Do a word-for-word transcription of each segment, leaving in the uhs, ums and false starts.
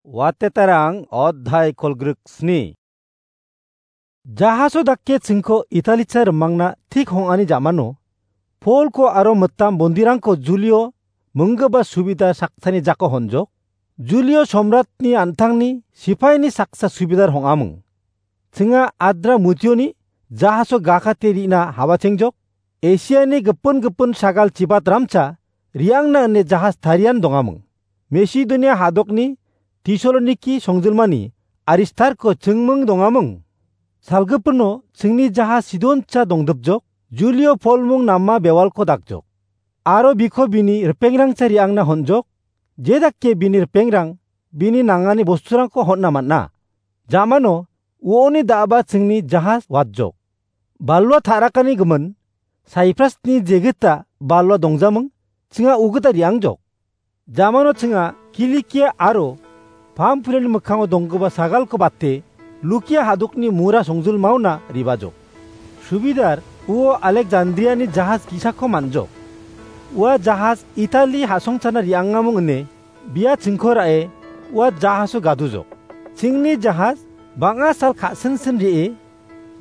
Watetarang odhai kolgrik sni. Jahaso dake chingko Italicha rimangna thik hong·ani jamano, Polko aro mitam bondirangko Julio minggipa subida saksani jako honjok. Julio somratni an·tangni sipaini saksa subidar hong·aming. Chinga adra mutioni jahaso gakate rina hawachengjok. Esiani gipin gipin sagal chibat ramcha riangna ine jahas tarian dongaming. Macedonia hadokni Tesaloniki songjilmani Aristarko chingming dongaming. Salgipino chingni jahas Sidoncha dongdipjok, Julio Polmung nama bewalko dakjok. Aro biko bini ripengrangcha riangna honjok, jedake bini ripengrang bini nangani bosturangko hon·na man·a. Jamano uoni da·ba chingni jahas watjok. Balua ta·rakani gimin, Saiprasni jegita balua dongjaming, chinga ugita riangjok. Jamano chinga Kilikia aro Pampuliani mikkango donggipa sagalko bate, Lukia hadokni mura songjilmaona ribajok. Subidar uo Alekjandriani jahas gisako man·jok. Ua jahas Itali ha·songchana riangamung ine bia chingko ra·e ua jahaso gadujok. Chingni jahas bang·a sal ka·sinsin re·e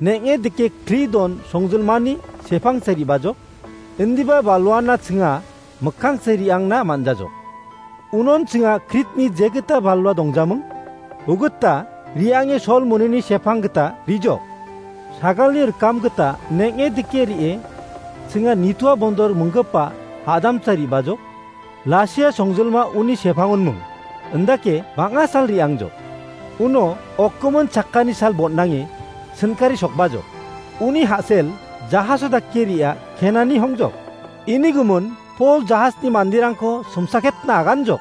neng·e dike Kridon songjilmani sepangsa ribajok. Indiba baluana chinga mikkangsa riangna man·jajok. Unon chinga Kritni jegita balua dongjaming. Ugita riange sol monini sepang gita rijok. Sagalni rikam gita neng·e dike re·e chinga nitua bondor minggipa hadamsa ribajok. Lasia songjilma uni sepangonming. Indake bang·a sal re·angjok. Uno okkomon chakani sal bon·nange sinkari sokbajok. Uni ha·sel jahaso dake re·a kenani hongjok. Ini gimin Pol jahasni manderangko somsaketna aganjok.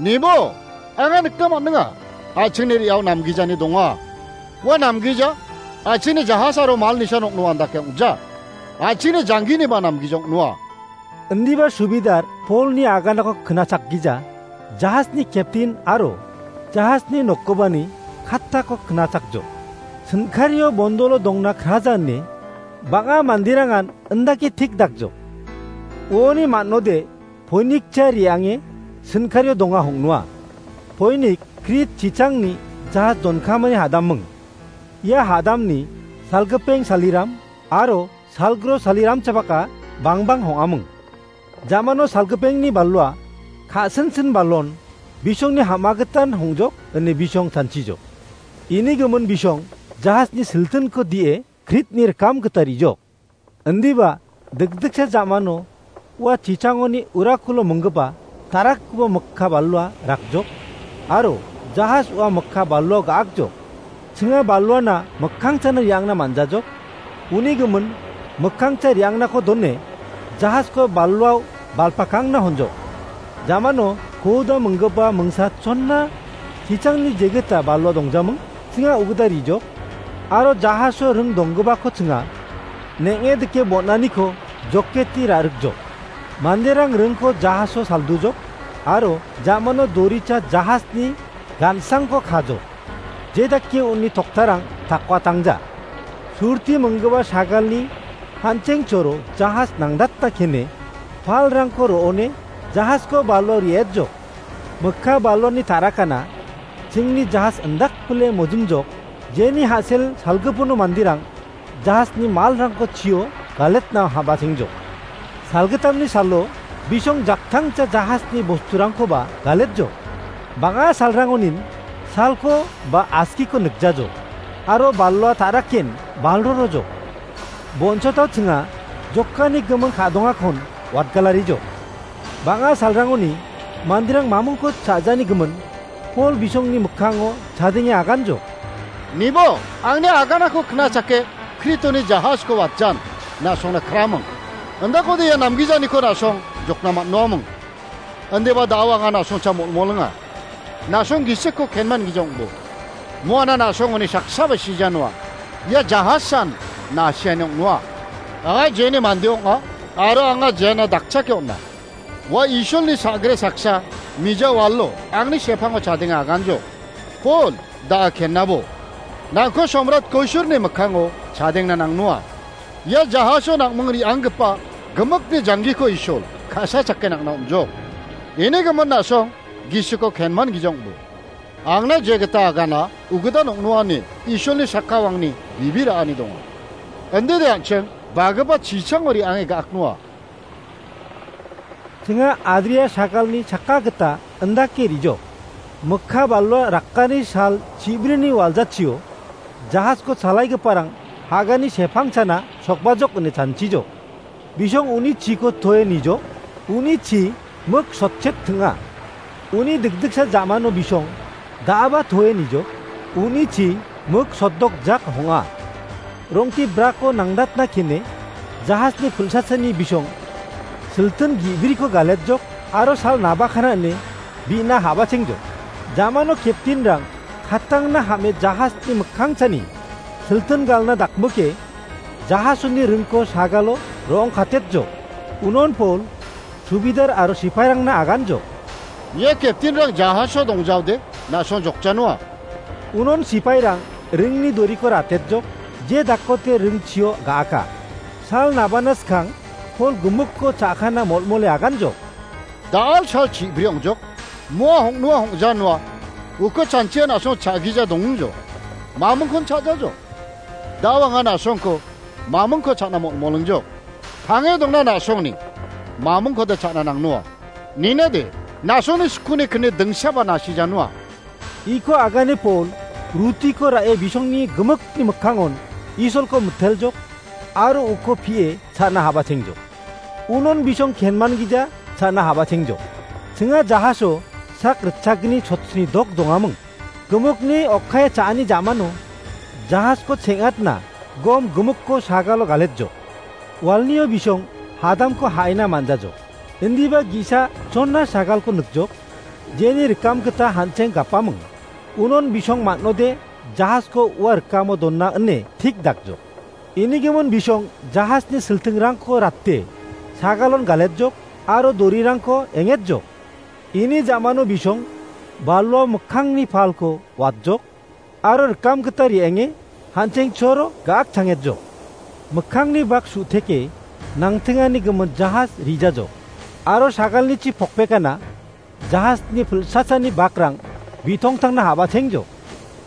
Nibo, anga nikna man·enga. A·chingni re·ao namgijani donga. Ua namgija, a·chingni jahas aro mal nisa nokno andake ong·ja. A·chingni jangginiba namgija ong·noa. Indiba subidar Polni aganako knachakgija, jahasni keptin aro jahasni nokkobani kattako knachakjok. Sinkario bondolo dongna kraja ine bang·a manderangan indake tik dakjok. Uoni man·ode Poinikcha re·ange sinkario donga hong·noa. Poinik Krit chichangni jahas donkamani hadaming. Ia hadamni salgipeng saliram aro salgro saliramchabaka bangbang hong·aming. Jamano salgipengni balua ka·sinsin balon bisongni ham·agitan hongjok ine bisong chanchijok. Ini gimin bisong jahasni siltinko die Kritni rikam gita rijok. Indiba dikdiksa jamano ua chichangoni urakulo minggipa tarakgipa mikka balua rakjok aro jahas ua mikka baluao ga·akjok. Chinga baluana mikkangchana re·angna man·jajok. Uni gimin mikkangcha re·angnako done jahasko baluao balpakangna honjok. Jamano koda minggipa mingsa chonna chichangni jegita balua dongjaming, chinga ugita rijok, aro jahaso ring donggipako chinga neng·e dike bon·aniko joketi ra·rikjok. Manderang ringko jahaso saldujok, aro jamano doricha jahasni gan·sangko kajok. Jedake uni toktarang takwatangja. Surti minggipa sagalni hanchengchoro jahas nangdata kene, palrangko ro·one jahasko balua re·etjok. Mikka baluani tarakana chingni jahas indakpile mojingjok, jeni ha·sel salgipono manderang jahasni malrangko chio galetna habasengjok. Salgitamni salo bisong jaktangcha jahasni bosturangkoba galetjok. Bang·a salrangonin salko ba askiko nikjajok, aro balua ta·raken balrorojok. Bonchotao chinga jokani gimin ka·dongakon watgalarijok. Bang·a salrangoni manderang mamingko cha·jani gimin Pol bisongni mikkango chadenge aganjok. Nibo, angni aganako knachake Kritoni jahasko watjan, na·songna kraming. Indakode ia namgijaniko na·song jokna man·noaming. Indiba da·o anga na·songcha molmolinga. Na·song gisikko kenman gija ong·bo. Moana na·song uni saksaba sijanoa. Ia jahasan na·asiani ong·noa. Anga jeni mande ong·a, aro anga jena dakchake on·a. Ua Isolni sa·gre saksa mija walo angni sepango chadenge aganjo. Pol, da·a kenabo. Nangko somrat Koisurni mikkango chadengna nangnoa. Ia jahaso nangming re·anggipa gimikni janggiko Isol ka·sa chake nangna on·jok. Ini gimin na·song gisiko kenman gija ong·bo. Angna jegita agana, ugidan ong·noani, Isolni sakawangni bibi ra·ani donga. Indide an·ching, bagipa chichango re·ange ga·aknoa. Tenga Adria sagalni chakka gita indake rijok. Mikka balwa rakkani sal chibrini waljatchio, jahasko chalaigiparang hagani sepangchana sokbajok ine chanchijok. Bisong uni chiko toe nijo, uni chi mik sotchet tenga. Uni dikdiksa jamano bisong da·aba toe nijo, uni chi mik sotdok jak honga. Rongti brako nangdatna kene, jahasni pulsasani bisong siltin gi·briko galetjok aro sal nabakana ine bi·na habachengjok. Jamano keptinrang kattangna hame jahasni mikkangchani siltin galna dakmoke jahasoni ringko sagalo rong katetjok. Unon Pol subidar aro sipairangna aganjok. Ia keptinrang jahaso dongjaode na·song jokjanoa. Unon sipairang ringni doriko ratetjok, je dakkote ringchio ga·aka. Sal nabana skang Pol gimikko cha·kana molmole aganjok. Da·al sal chibri ong·jok, moa hong·noa hong·janoa, uko chanchia na·song cha·gija dongjok. Mamingkon cha·jajok. Da·o anga na·songko mamingko cha·na molmolingjok. Tange dongna na·songni mamingkoda cha·na nangnoa. Ninade, na·songni skuni kni dingsaba nasijanoa. Iko agane Pol, rutiko ra·e bisongni gimikni mikkangon Isolko miteljok, aro uko pie cha·na habachengjok. Unon bisong kenman gija cha·na habachengjok. Chinga jahaso sak ritchagni chotsni dok dongaming. Gimikni okkae cha·ani jamano jahasko cheng·atna gom gimikko sagalo galetjok. Walnio bisong hadamko ha·ina manjajok. Indiba gi·sa chonna sagalko nikjok, jeni rikam gita han·cheng gapaming. Unon bisong man·ode jahasko ua rikamo donna ine tik dakjok. Inigimin bisong jahasni siltingrangko rate sagalon galetjok aro dorirangko engetjok. Ini jamano bisong balwa mikkangni palko watjok aro rikam gita re·enge han·cheng choro ga·ak changetjok. Mikkangni bak su·teke nangtingani gimin jahas rijajok aro sagalni chi pokpekana jahasni pilsachani bakrang bitongtangna habachengjok.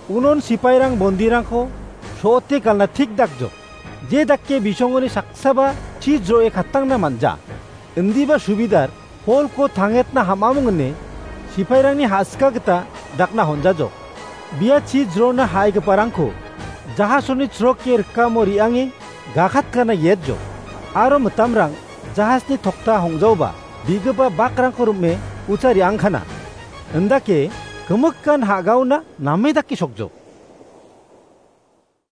Unon sipairang bondirangko so·ote galna tik dakjok. Je dake bisongoni saksaba chi jro·e katangna manja. Indiba subidar Polko tangetna ham·aming ine sipairangni ha·sika gita dakna honjajok. Bia chi jrona ha·igiparangko jahasoni chroke rikamo re·ange gakatkana yetjok. Aro mitamrang jahasni tokta hongjaoba bigipa bakrangko rim·e ucha re·angkana. Indake gimikan ha·gaona name dake sokjok.